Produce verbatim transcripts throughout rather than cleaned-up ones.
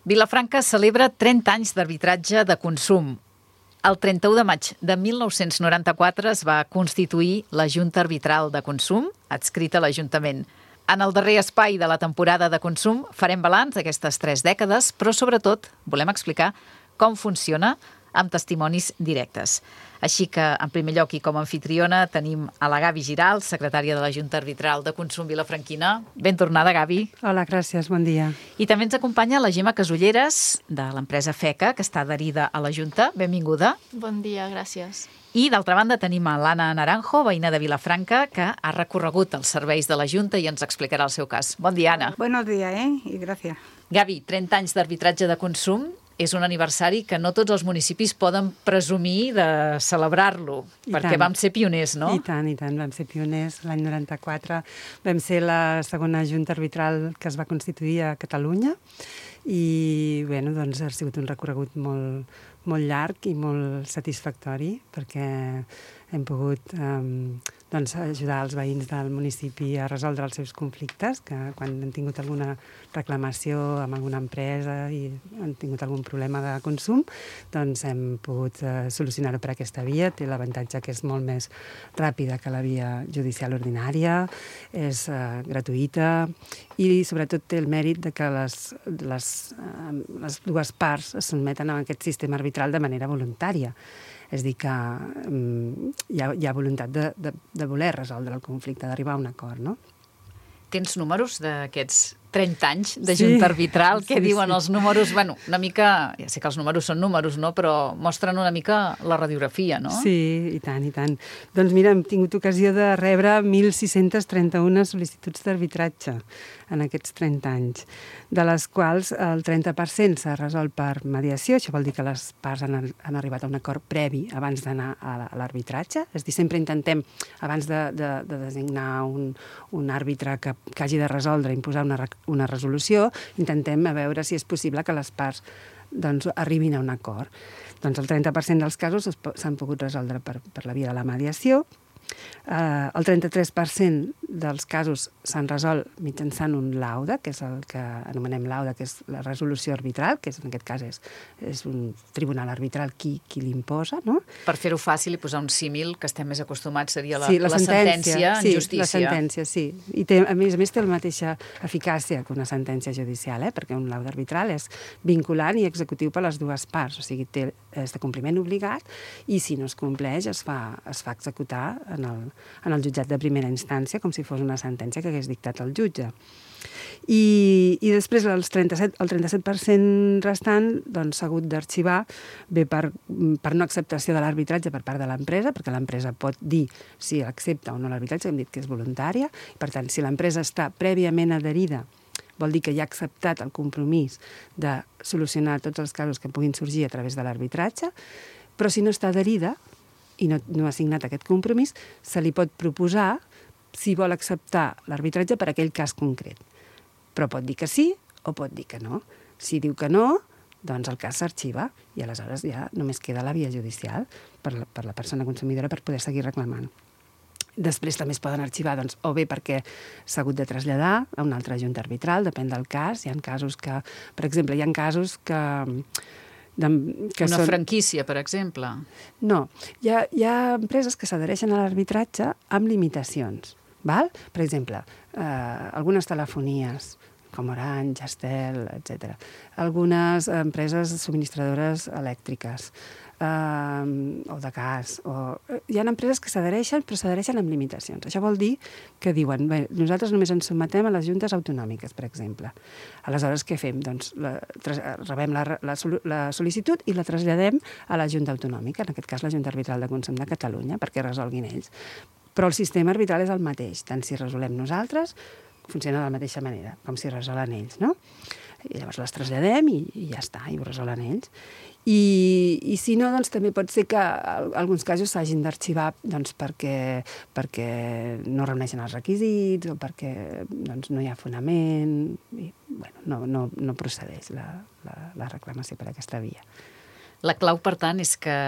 Vilafranca celebra trenta anys d'arbitratge de consum. El trenta-u de maig de mil nou-cents noranta-quatre es va constituir la Junta Arbitral de Consum, adscrita a l'Ajuntament. En el darrer espai de la temporada de consum farem balanç d'aquestes tres dècades, però sobretot volem explicar com funciona amb testimonis directes. Així que, en primer lloc i com a anfitriona, tenim a la Gavi Giral, secretària de la Junta Arbitral de Consum Vilafranquina. Ben tornada, Gavi. Hola, gràcies, bon dia. I també ens acompanya la Gemma Casulleres, de l'empresa FECA, que està adherida a la Junta. Benvinguda. Bon dia, gràcies. I, d'altra banda, tenim a l'Anna Naranjo, veïna de Vilafranca, que ha recorregut els serveis de la Junta i ens explicarà el seu cas. Bon dia, Anna. Buenos días, eh? I gràcies. Gavi, trenta anys d'arbitratge de consum. És un aniversari que no tots els municipis poden presumir de celebrar-lo, perquè vam ser pioners, no? I tant, i tant, vam ser pioners. L'any noranta-quatre vam ser la segona junta arbitral que es va constituir a Catalunya i, bueno, doncs ha sigut un recorregut molt, molt llarg i molt satisfactori perquè hem pogut um, doncs, ajudar els veïns del municipi a resoldre els seus conflictes, que quan han tingut alguna reclamació amb alguna empresa i han tingut algun problema de consum, doncs hem pogut uh, solucionar-ho per aquesta via. Té l'avantatge que és molt més ràpida que la via judicial ordinària, és uh, gratuïta i sobretot té el mèrit de que les, les, uh, les dues parts es sotmeten a aquest sistema arbitral de manera voluntària. És a dir, que um, hi, ha, hi ha voluntat de, de, de voler resoldre el conflicte, d'arribar a un acord, no? Tens números d'aquests trenta anys de junta arbitral? Què sí, diuen sí. els números? Bueno, una mica, ja sé que els números són números, no? Però mostren una mica la radiografia, no? Sí, i tant, i tant. Doncs mira, hem tingut ocasió de rebre mil sis-centes trenta-una sol·licituds d'arbitratge en aquests trenta anys, de les quals el trenta per cent s'ha resolt per mediació. Això vol dir que les parts han, han arribat a un acord previ abans d'anar a l'arbitratge. És a dir, sempre intentem, abans de, de, de designar un, un àrbitre que, que hagi de resoldre, imposar una, una resolució, intentem a veure si és possible que les parts doncs, arribin a un acord. Doncs el trenta per cent dels casos s'han pogut resoldre per, per la via de la mediació. Uh, el trenta-tres per cent dels casos s'han resolt mitjançant un laude, que és el que anomenem laude, que és la resolució arbitral, que és, en aquest cas és, és un tribunal arbitral qui, qui l'imposa, no? Per fer-ho fàcil i posar un símil que estem més acostumats seria la, sí, la, la sentència, sentència en sí, justícia. La sentència, sí. I té, a més a més té la mateixa eficàcia que una sentència judicial, eh? Perquè un laude arbitral és vinculant i executiu per les dues parts, o sigui, té, és de compliment obligat i si no es compleix es fa, es fa executar en el, en el jutjat de primera instància com si fos una sentència que hagués dictat el jutge. I, i després els trenta-set, el trenta-set per cent restant doncs, s'ha hagut d'arxivar bé per, per no acceptació de l'arbitratge per part de l'empresa, perquè l'empresa pot dir si accepta o no l'arbitratge, hem dit que és voluntària, i per tant, si l'empresa està prèviament adherida, vol dir que ja ha acceptat el compromís de solucionar tots els casos que puguin sorgir a través de l'arbitratge, però si no està adherida i no, no ha signat aquest compromís, se li pot proposar si vol acceptar l'arbitratge per aquell cas concret. Però pot dir que sí o pot dir que no. Si diu que no, doncs el cas s'arxiva i aleshores ja només queda la via judicial per la, per la persona consumidora per poder seguir reclamant. Després també es poden arxivar doncs, o bé perquè s'ha hagut de traslladar a una altra junta arbitral, depèn del cas. Hi ha casos que, per exemple, hi ha casos que... De, que una són... franquícia, per exemple? No, hi ha, hi ha empreses que s'adhereixen a l'arbitratge amb limitacions. Val? Per exemple, eh, algunes telefonies, com Orange, Astel, etcètera. Algunes empreses subministradores elèctriques, eh, o de gas. O... Hi ha empreses que s'adhereixen, però s'adhereixen amb limitacions. Això vol dir que diuen, bé, nosaltres només ens sotmetem a les juntes autonòmiques, per exemple. Aleshores, què fem? Doncs la, rebem la, la, la sol·licitud i la traslladem a la Junta Autonòmica, en aquest cas la Junta Arbitral de Consum de Catalunya, perquè resolguin ells. Però el sistema arbitral és el mateix, tant si resolem nosaltres, funciona de la mateixa manera, com si resolen ells, no? I llavors les traslladem i, i ja està, i ho resolen ells. I, i si no, doncs també pot ser que en alguns casos s'hagin d'arxivar doncs, perquè, perquè no reuneixen els requisits o perquè doncs, no hi ha fonament i bueno, no, no, no procedeix la, la, la reclamació per aquesta via. La clau, per tant, és que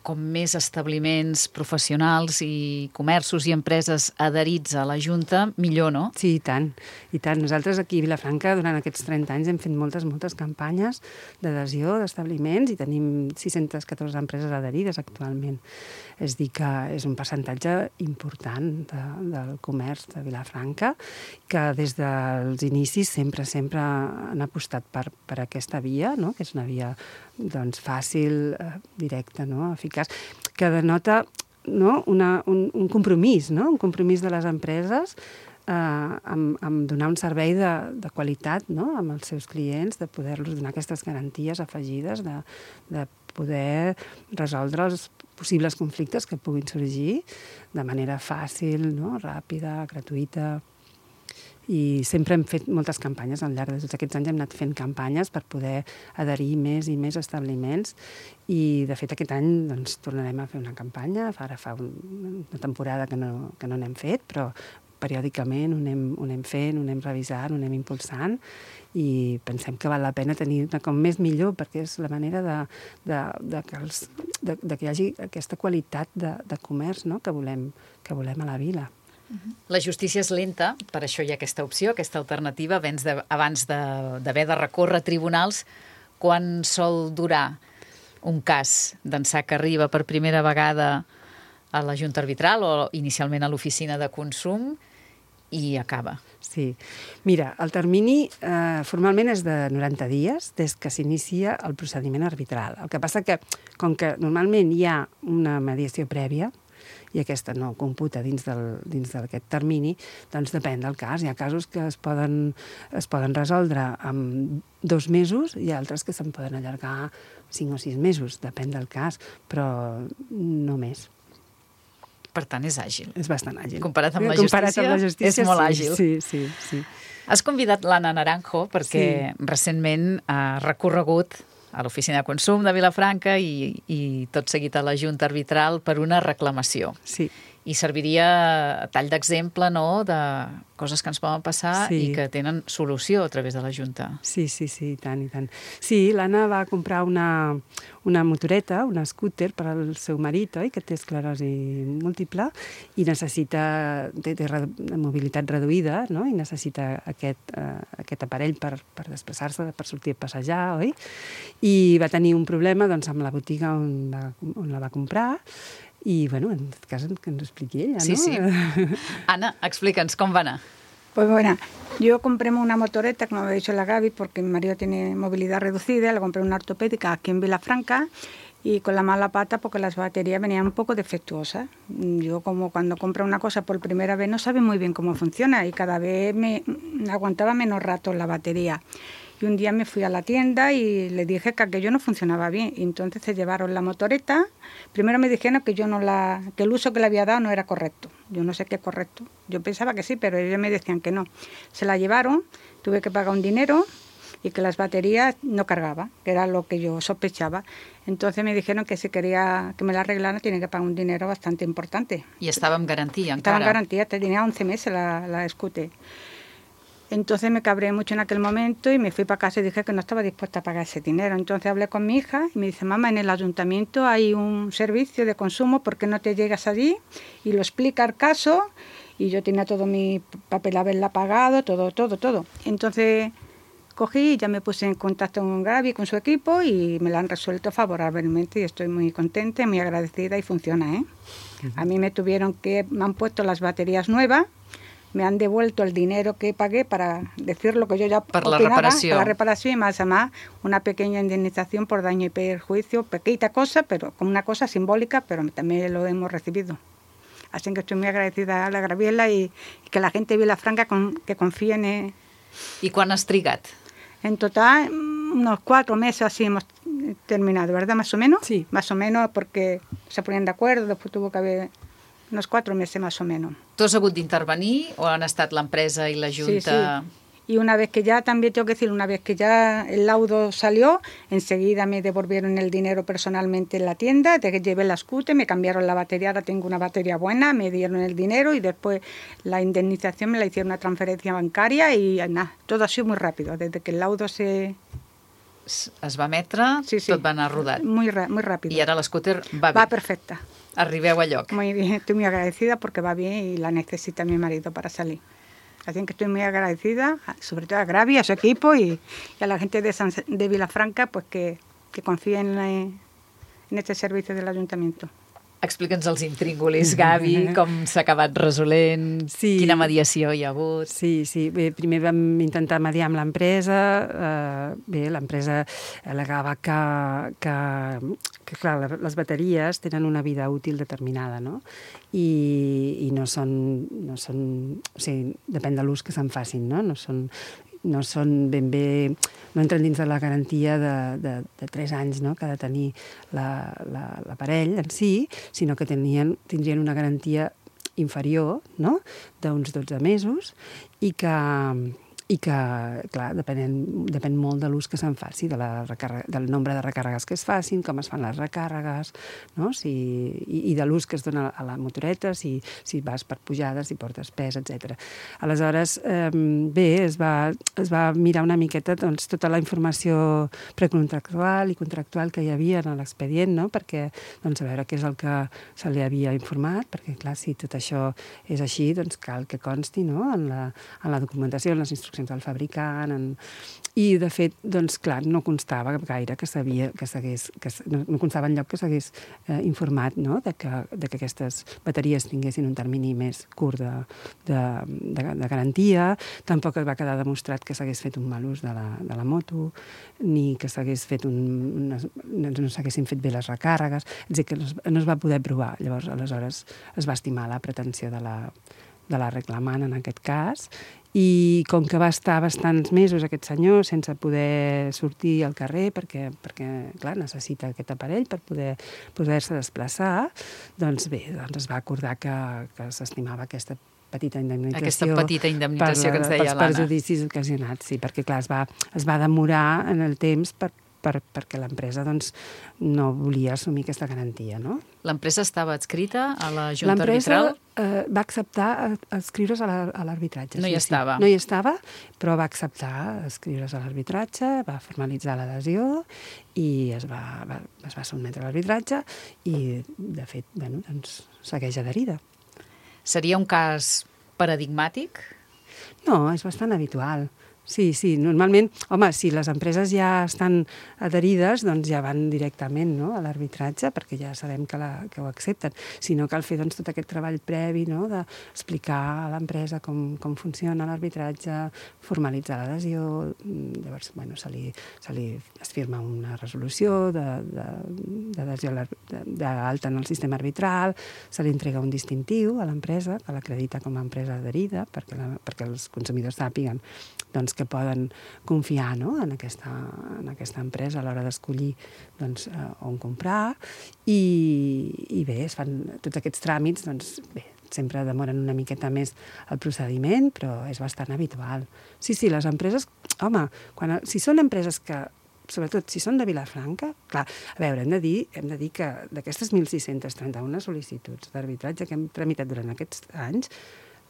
com més establiments professionals i comerços i empreses adherits a la Junta, millor, no? Sí, i tant, i tant. Nosaltres aquí a Vilafranca durant aquests trenta anys hem fet moltes, moltes campanyes d'adhesió d'establiments i tenim sis-centes catorze empreses adherides actualment. És dir, que és un percentatge important de, del comerç de Vilafranca, que des dels inicis sempre, sempre han apostat per, per aquesta via, no? Que és una via doncs, fàcil, eh, directa, no? Eficaç, que denota no? Una, un, un compromís, no? Un compromís de les empreses eh, amb, amb donar un servei de, de qualitat, no? Amb els seus clients, de poder-los donar aquestes garanties afegides, de, de poder resoldre els possibles conflictes que puguin sorgir de manera fàcil, no? Ràpida, gratuïta. I sempre hem fet moltes campanyes al llarg de tots aquests anys, hem anat fent campanyes per poder adherir més i més establiments i, de fet, aquest any doncs, tornarem a fer una campanya. Ara fa un, una temporada que no, que no n'hem fet, però periòdicament ho anem, ho anem fent, ho anem revisant, ho anem impulsant i pensem que val la pena tenir-ne com més millor, perquè és la manera de, de, de, que, els, de, de que hi hagi aquesta qualitat de, de comerç, no? que, volem, que volem a la vila. La justícia és lenta, per això hi ha aquesta opció, aquesta alternativa, abans de, abans d'haver de, de recórrer tribunals. Quan sol durar un cas d'ençà que arriba per primera vegada a la Junta Arbitral o inicialment a l'Oficina de Consum i acaba? Sí. Mira, el termini eh, formalment és de noranta dies des que s'inicia el procediment arbitral. El que passa que, com que normalment hi ha una mediació prèvia, i aquesta no computa dins d'aquest dins termini, doncs depèn del cas. Hi ha casos que es poden, es poden resoldre en dos mesos i altres que se'n poden allargar cinc o sis mesos, depèn del cas, però no més. Per tant, és àgil. És bastant àgil. Comparat amb la Comparat justícia, amb la justícia és molt sí, àgil. Sí, sí, sí. Has convidat l'Anna Naranjo perquè Sí. recentment ha recorregut a l'Oficina de Consum de Vilafranca i, i tot seguit a la Junta Arbitral per una reclamació. Sí. I serviria a tall d'exemple, no?, de coses que ens poden passar Sí. i que tenen solució a través de la Junta. Sí, sí, sí, i tant, i tant. Sí, l'Anna va comprar una, una motoreta, una scooter per al seu marit, oi?, que té esclerosi múltiple i necessita, té, té re, mobilitat reduïda, no?, i necessita aquest, eh, aquest aparell per, per desplaçar-se, per sortir a passejar, oi? I va tenir un problema, doncs, amb la botiga on, va, on la va comprar. I, bueno, en aquest cas que ens expliqui ella, Sí, ¿no? sí. Ana, explica'ns com va anar. Pues bueno, yo compré una motoreta, como me ha dicho la Gaby, porque mi marido tiene movilidad reducida, le compré una ortopédica aquí en Vilafranca y con la mala pata porque las baterías venían un poco defectuosas. Yo como cuando compro una cosa por primera vez no sabe muy bien cómo funciona y cada vez me aguantaba menos rato la batería. Y un día me fui a la tienda y le dije que aquello no funcionaba bien. Y entonces se llevaron la motoreta. Primero me dijeron que yo no la, que el uso que le había dado no era correcto. Yo no sé qué es correcto. Yo pensaba que sí, pero ellos me decían que no. Se la llevaron, tuve que pagar un dinero y que las baterías no cargaban, que era lo que yo sospechaba. Entonces me dijeron que si quería que me la arreglara tenía que pagar un dinero bastante importante. I estava amb garantia Estaba en encara. garantía, tenía once meses la, la scooter. Entonces me cabré mucho en aquel momento y me fui para casa y dije que no estaba dispuesta a pagar ese dinero. Entonces hablé con mi hija y me dice, mamá, en el ayuntamiento hay un servicio de consumo, ¿por qué no te llegas allí? Y lo explica el caso y yo tenía todo mi papel haberla pagado, todo, todo, todo. Entonces cogí y ya me puse en contacto con Gaby, con su equipo y me la han resuelto favorablemente y estoy muy contenta, muy agradecida y funciona, ¿eh? A mí me tuvieron que, me han puesto las baterías nuevas, me han devuelto el dinero que pagué para decir lo que yo ya Per la opinaba, reparació. para la reparación y más a más una pequeña indemnización por daño y perjuicio, pequeña cosa, pero como una cosa simbólica, pero también lo hemos recibido. Así que estoy muy agradecida a la Graviela y, y que la gente de Vilafranca con, que confíe en, eh, I quan has trigat? en total unos cuatro meses así hemos terminado, ¿verdad? Más o menos. Sí. Más o menos porque se ponían de acuerdo, después tuvo que haber unos cuatro meses más o menos. Tu has hagut d'intervenir o han estat l'empresa i la Junta? Sí, sí. Y una vez que ya, también tengo que decir, una vez que ya el laudo salió, enseguida me devolvieron el dinero personalmente en la tienda, de que llevé la scooter, me cambiaron la batería, ahora tengo una batería buena, me dieron el dinero y después la indemnización me la hicieron una transferencia bancaria y nada, todo ha sido muy rápido, desde que el laudo se, es va emetre, sí, sí. tot va anar rodat. Muy, muy rápido. I ara l'scúter va bé. Va perfecta. Arribeu a lloc. Muy bien, estoy muy agradecida porque va bien y la necesita mi marido para salir. Así que estoy muy agradecida, sobre todo a Gravi, a su equipo y, y a la gente de, San, de Vilafranca, pues que, que confíen en, en este servicio del Ayuntamiento. Explica'ns els intríngulis, Gavi, com s'ha acabat resolent, sí. Quina mediació hi ha hagut. Sí, sí. Bé, primer vam intentar mediar amb l'empresa. Eh, bé, l'empresa al·legava que, que, que, clar, les bateries tenen una vida útil determinada, no? I, i no són, no són... O sigui, depèn de l'ús que se'n facin, no? No són... no són ben bé, no entren dins de la garantia de, de, de tres anys, no?, que ha de tenir l'aparell en si, sinó que tenien, tindrien una garantia inferior, no?, d'uns dotze mesos, i que, i que clar, depèn, depèn molt de l'ús que se'n faci, de la del nombre de recàrregues que es facin, com es fan les recàrregues, no?, si, i, i de l'ús que es dona a la motoreta, si, si vas per pujades, si portes pes, etcètera. Aleshores, eh, bé, es va, es va mirar una miqueta doncs, tota la informació precontractual i contractual que hi havia en l'expedient, no?, perquè doncs, a veure què és el que se li havia informat, perquè, clar, si tot això és així, doncs cal que consti, no?, en la, en la documentació, en les instruccions del fabricant, en... i de fet, doncs clar, no constava gaire que sabia, que s'hagués, que no, no constava enlloc que s'hagués eh, informat, no?, de que, de que aquestes bateries tinguessin un termini més curt de, de, de, de garantia. Tampoc va quedar demostrat que s'hagués fet un mal ús de la, de la moto, ni que s'hagués fet un, unes, no s'haguessin fet bé les recàrregues, és a dir, que no es, no es va poder provar. Llavors, aleshores, es va estimar la pretensió de la, de la reclamant en aquest cas, i com que va estar bastants mesos aquest senyor sense poder sortir al carrer perquè, perquè clar, necessita aquest aparell per poder poder-se desplaçar, doncs bé, doncs es va acordar que, que s'estimava aquesta petita indemnització. Aquesta petita indemnització per, que ens deia l'Anna. Pels perjudicis ocasionats, sí, perquè clar, es va, es va demorar en el temps per Per, perquè l'empresa doncs, no volia assumir aquesta garantia, no? L'empresa estava adscrita a la Junta Arbitral? L'empresa eh, va acceptar adscriure's a l'arbitratge. No hi sí, estava? Sí. No hi estava, però va acceptar adscriure's a l'arbitratge, va formalitzar l'adhesió i es va, va, es va sotmetre a l'arbitratge i, de fet, bueno, doncs, segueix adherida. Seria un cas paradigmàtic? No, és bastant habitual. Sí, sí, normalment, home, si les empreses ja estan adherides, doncs ja van directament, no?, a l'arbitratge, perquè ja sabem que, la, que ho accepten. Si no, cal fer doncs, tot aquest treball previ, no?, d'explicar a l'empresa com, com funciona l'arbitratge, formalitzar l'adhesió, llavors, bueno, se li, se li es firma una resolució d'adhesió d'alta en el sistema arbitral, se li entrega un distintiu a l'empresa, que l'acredita com a empresa adherida, perquè, la, perquè els consumidors sàpiguen doncs, que poden confiar, no?, en, aquesta, en aquesta empresa a l'hora d'escollir doncs, on comprar i, i bé, es fan tots aquests tràmits, doncs bé, sempre demoren una miqueta més el procediment, però és bastant habitual. Sí, sí, les empreses, home, quan, si són empreses que sobretot si són de Vilafranca, clar, a veure, hem de dir, hem de dir que d'aquestes mil sis-cents trenta-una sol·licituds d'arbitratge que hem tramitat durant aquests anys,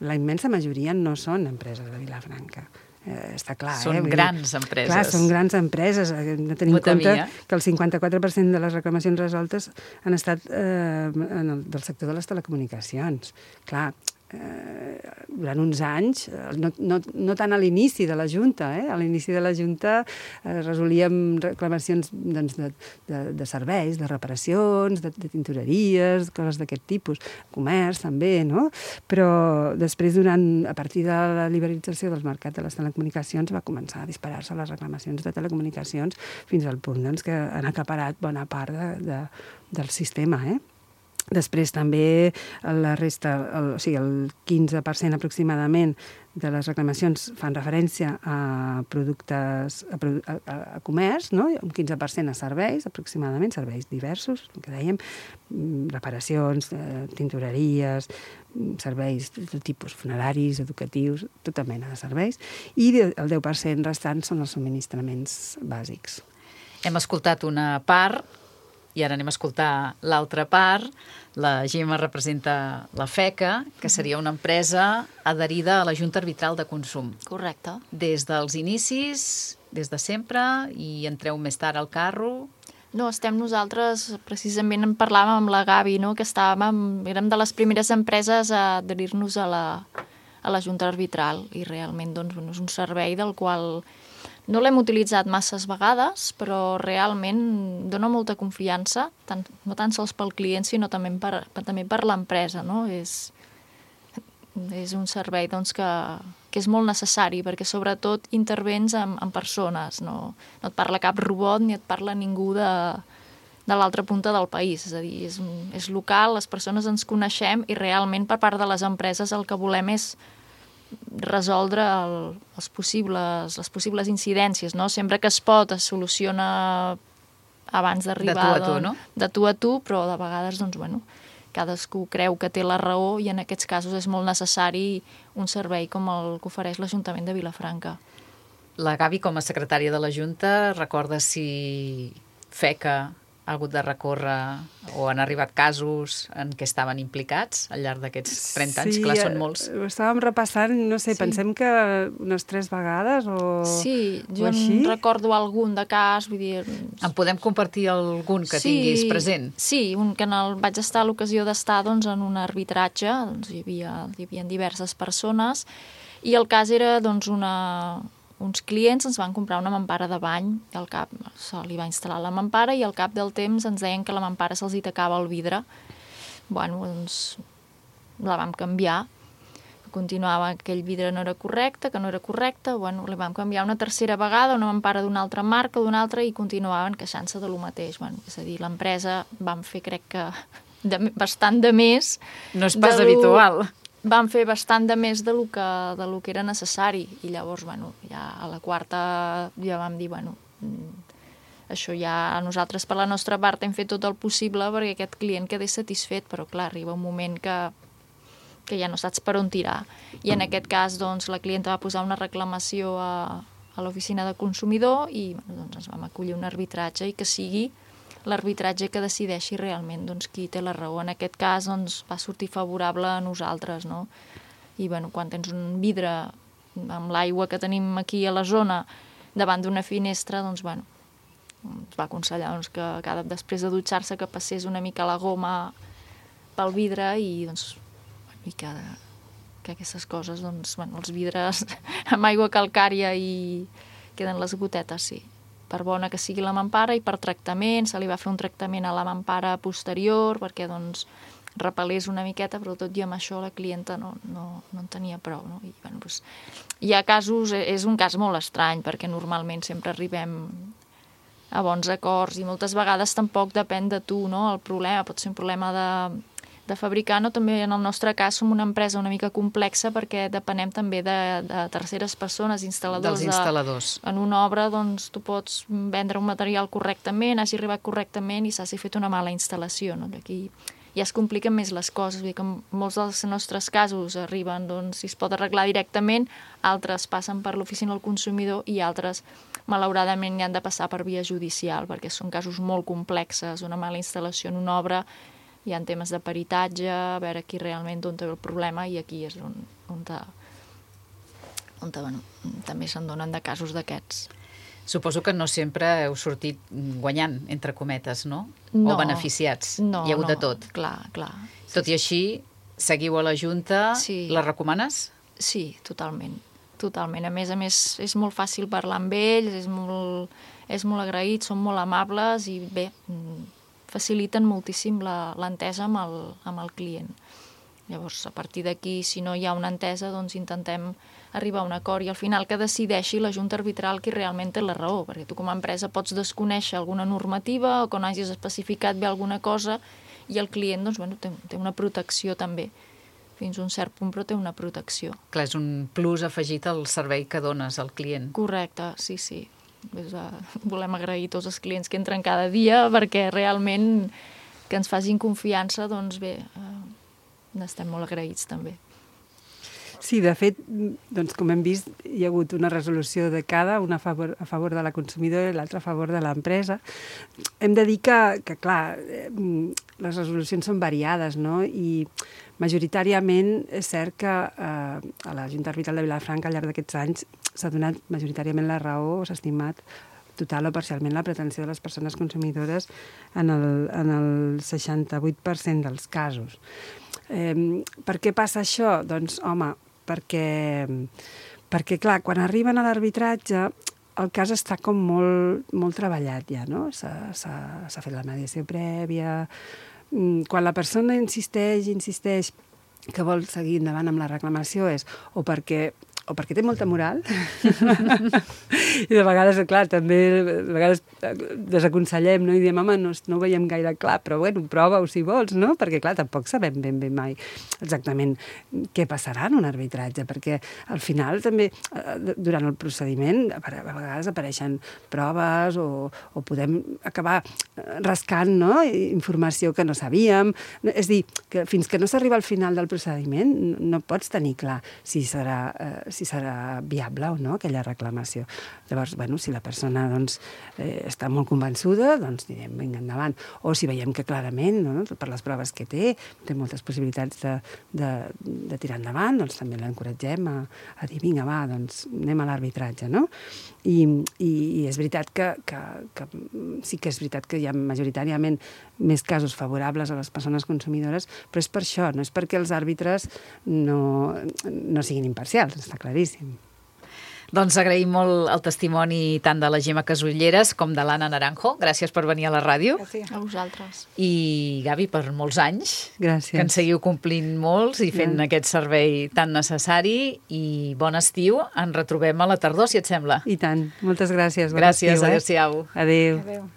la immensa majoria no són empreses de Vilafranca. Eh, està clar, són eh? grans empreses. Clar, són grans empreses. Hem de tenir en compte que el cinquanta-quatre per cent de les reclamacions resoltes han estat eh, en el, del sector de les telecomunicacions. Clar, eh, durant uns anys, no, no, no tant a l'inici de la Junta, eh? A l'inici de la Junta eh, resolíem reclamacions doncs, de, de, de serveis, de reparacions, de, de tintoreries, coses d'aquest tipus, comerç també, no? Però després, durant, a partir de la liberalització del mercat de les telecomunicacions, va començar a disparar-se les reclamacions de telecomunicacions fins al punt doncs, que han acaparat bona part de, de, del sistema, eh? Després també la resta, el, o sigui, el quinze per cent aproximadament de les reclamacions fan referència a productes, a, a, a comerç, no? Un quinze per cent a serveis, aproximadament, serveis diversos, el que dèiem, reparacions, eh, tintoreries, serveis de tot tipus, funeraris, educatius, tota mena de serveis, i el deu per cent restant són els subministraments bàsics. Hem escoltat una part, i ara anem a escoltar l'altra part. La Gemma representa la FECA, que seria una empresa adherida a la Junta Arbitral de Consum. Correcte. Des dels inicis des de sempre i entreu més tard al carro? No, estem nosaltres, precisament en parlàvem amb la Gavi, no? Que estàvem, érem de les primeres empreses a adherir-nos a la, a la Junta Arbitral i realment doncs, bueno, és un servei del qual no l'hem utilitzat masses vegades, però realment dona molta confiança, tant, no tan sols pel client, sinó també per, també per l'empresa, no? És, és un servei doncs, que, que és molt necessari, perquè sobretot intervens amb, amb persones, no, no et parla cap robot ni et parla ningú de, de l'altra punta del país, és a dir, és, és local, les persones ens coneixem i realment per part de les empreses el que volem és resoldre el, els possibles, les possibles incidències, no? Sempre que es pot es soluciona abans d'arribar... De tu a tu, no? De tu a tu, però de vegades, doncs, bueno, cadascú creu que té la raó i en aquests casos és molt necessari un servei com el que ofereix l'Ajuntament de Vilafranca. La Gavi, com a secretària de la Junta, recorda si FECA ha hagut de recórrer o han arribat casos en què estaven implicats al llarg d'aquests trenta anys? Sí, Clar, són molts. Ho estàvem repassant, no sé, Sí. pensem que unes tres vegades o... Sí, o jo així? en recordo algun de cas, vull dir... En podem compartir algun que tinguis present? Sí, un que en el, vaig estar a l'ocasió d'estar doncs, en un arbitratge, doncs, hi havia, hi havia diverses persones, i el cas era doncs, una... uns clients ens van comprar una mampara de bany i al cap se li va instal·lar la mampara i al cap del temps ens deien que la mampara se'ls hi tacava el vidre. Bueno, doncs la vam canviar. Continuava que aquell vidre no era correcte, que no era correcte. Bueno, li vam canviar una tercera vegada, una mampara d'una altra marca, d'una altra, i continuaven queixant-se de lo mateix. Bueno, és a dir, l'empresa vam fer, crec que, de, bastant de més. No és pas de lo- habitual. Vam fer bastant de més de lo que, de lo que era necessari i llavors, bueno, ja a la quarta ja vam dir, bueno, això ja nosaltres per la nostra part hem fet tot el possible perquè aquest client quedés satisfet, però clar, arriba un moment que, que ja no saps per on tirar. I en aquest cas, doncs, la clienta va posar una reclamació a, a l'oficina de consumidor i bueno, doncs ens vam acollir un arbitratge i que sigui l'arbitratge que decideixi realment doncs, qui té la raó. En aquest cas doncs, va sortir favorable a nosaltres, no? I bueno, quan tens un vidre amb l'aigua que tenim aquí a la zona davant d'una finestra, doncs bueno, ens va aconsellar doncs, que cada després de dutxar-se que passés una mica la goma pel vidre i doncs bueno, i que, que aquestes coses, doncs, bueno, els vidres amb aigua calcària i queden les gotetes, sí. Per bona que sigui la mampara i per tractament, se li va fer un tractament a la mampara posterior perquè doncs repel·lés una miqueta, però tot i amb això la clienta no, no, no en tenia prou. No? I, bueno, doncs, hi ha casos, és un cas molt estrany perquè normalment sempre arribem a bons acords i moltes vegades tampoc depèn de tu, no? El problema pot ser un problema de, de fabricar, no? També en el nostre cas som una empresa una mica complexa perquè depenem també de, de terceres persones, instal·ladors. Dels instal·ladors. De, en una obra doncs, tu pots vendre un material correctament, hagi arribat correctament i s'hagi fet una mala instal·lació. No? Aquí ja es compliquen més les coses. Vull dir que en molts dels nostres casos arriben, doncs, si es pot arreglar directament, altres passen per l'oficina del consumidor i altres, malauradament, hi han de passar per via judicial perquè són casos molt complexes, una mala instal·lació en una obra, hi ha temes de peritatge, a veure qui realment on té el problema i aquí és on, on, te, on te, bueno, també se'n donen de casos d'aquests. Suposo que no sempre heu sortit guanyant, entre cometes, no? No, o beneficiats. No, Hi ha hagut no, de tot. Clar, clar. Tot i així, seguiu a la Junta, Sí. la recomanes? Sí, totalment. Totalment. A més a més, és molt fàcil parlar amb ells, és molt, és molt agraït, són molt amables i bé, faciliten moltíssim la- l'entesa amb, el, amb el client. Llavors, a partir d'aquí, si no hi ha una entesa, doncs intentem arribar a un acord i al final que decideixi la Junta Arbitral qui realment té la raó, perquè tu com a empresa pots desconèixer alguna normativa o que no hagis especificat bé alguna cosa i el client doncs, bueno, té, té una protecció també. Fins a un cert punt, però té una protecció. Clar, és un plus afegit al servei que dones al client. Correcte, sí, sí. És, uh, volem agrair tots els clients que entren cada dia perquè realment que ens facin confiança, doncs bé, uh, n'estem molt agraïts també. Sí, de fet, doncs, com hem vist, hi ha hagut una resolució de cada, una a favor, a favor de la consumidora i l'altra a favor de l'empresa. Hem de dir que, que, clar, les resolucions són variades, no? I majoritàriament és cert que eh, a la Junta Arbitral de Vilafranca al llarg d'aquests anys s'ha donat majoritàriament la raó, s'ha estimat total o parcialment la pretensió de les persones consumidores en el, en el seixanta-vuit per cent dels casos. Eh, per què passa això? Doncs, home, perquè, perquè clar, quan arriben a l'arbitratge el cas està com molt, molt treballat ja, no? S'ha fet la mediació prèvia. Quan la persona insisteix, insisteix que vol seguir endavant amb la reclamació és o perquè o perquè té molta moral, i de vegades, clar, també de vegades desaconsellem, no? I diem, home, no, no ho veiem gaire clar, però bueno, prova-ho si vols, no? Perquè, clar, tampoc sabem ben bé mai exactament què passarà en un arbitratge, perquè al final també, durant el procediment, a vegades apareixen proves o, o podem acabar rascant, no? Informació que no sabíem. És dir, que fins que no s'arriba al final del procediment no pots tenir clar si serà... Eh, si serà viable o no aquella reclamació. Llavors, bueno, si la persona doncs, eh, està molt convençuda, doncs direm, vinga, endavant. O si veiem que clarament, no, per les proves que té, té moltes possibilitats de, de, de tirar endavant, doncs també l'encoratgem a, a dir, vinga, va, doncs anem a l'arbitratge, no? I, i, i és veritat que, que, que sí que és veritat que hi ha majoritàriament més casos favorables a les persones consumidores, però és per això, no és perquè els àrbitres no, no siguin imparcials, està claríssim. Doncs agraïm molt el testimoni tant de la Gemma Casulleras com de l'Anna Naranjo. Gràcies per venir a la ràdio. Gràcies. A vosaltres. I, Gavi, per molts anys. Gràcies. Que en seguiu complint molts i fent ja. aquest servei tan necessari. I bon estiu. Ens retrobem a la tardor, si et sembla. I tant. Moltes gràcies. Bon gràcies, estiu, eh? adéu-siau. Adéu. Adéu.